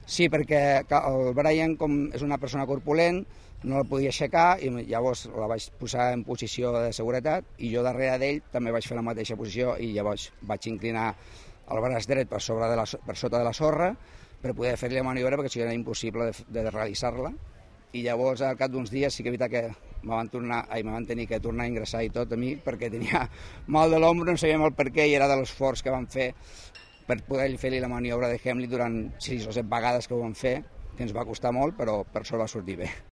Sí, perquè el Brian, com és una persona corpulent, no la podia aixecar i llavors la vaig posar en posició de seguretat i jo darrere d'ell també vaig fer la mateixa posició i llavors vaig inclinar el braç dret per sota de la sorra per poder fer-li la maniobra perquè si era impossible de realitzar-la. I llavors, al cap d'uns dies, sí que és veritat que me van tenir que tornar a ingressar i tot a mi perquè tenia mal de l'ombro, no sabíem el per què i era de l'esforç que vam fer per poder fer-li la maniobra de Heimlich durant 6 o 7 vegades que ho vam fer, que ens va costar molt, però per sort va sortir bé.